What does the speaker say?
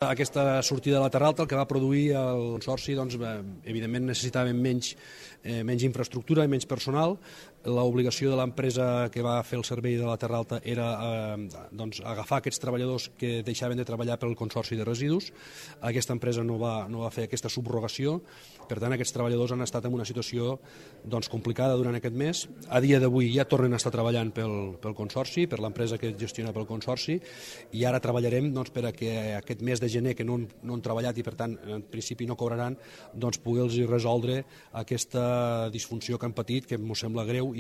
Aquesta sortida de la Terra Alta el que va produir el Consorci, evidentment necessitàvem menys infraestructura i menys personal. L'obligació de l'empresa que va fer el servei de la Terra Alta era agafar aquests treballadors que deixaven de treballar pel Consorci de Residus. Aquesta empresa no va fer aquesta subrogació, per tant aquests treballadors han estat en una situació complicada durant aquest mes. A dia d'avui ja tornen a estar treballant pel Consorci, per l'empresa que gestiona pel Consorci, i ara treballarem per a que aquest mes de gener que no han treballat i per tant en principi no cobraran, poder-los resoldre aquesta disfunció que han patit, que ens sembla greu i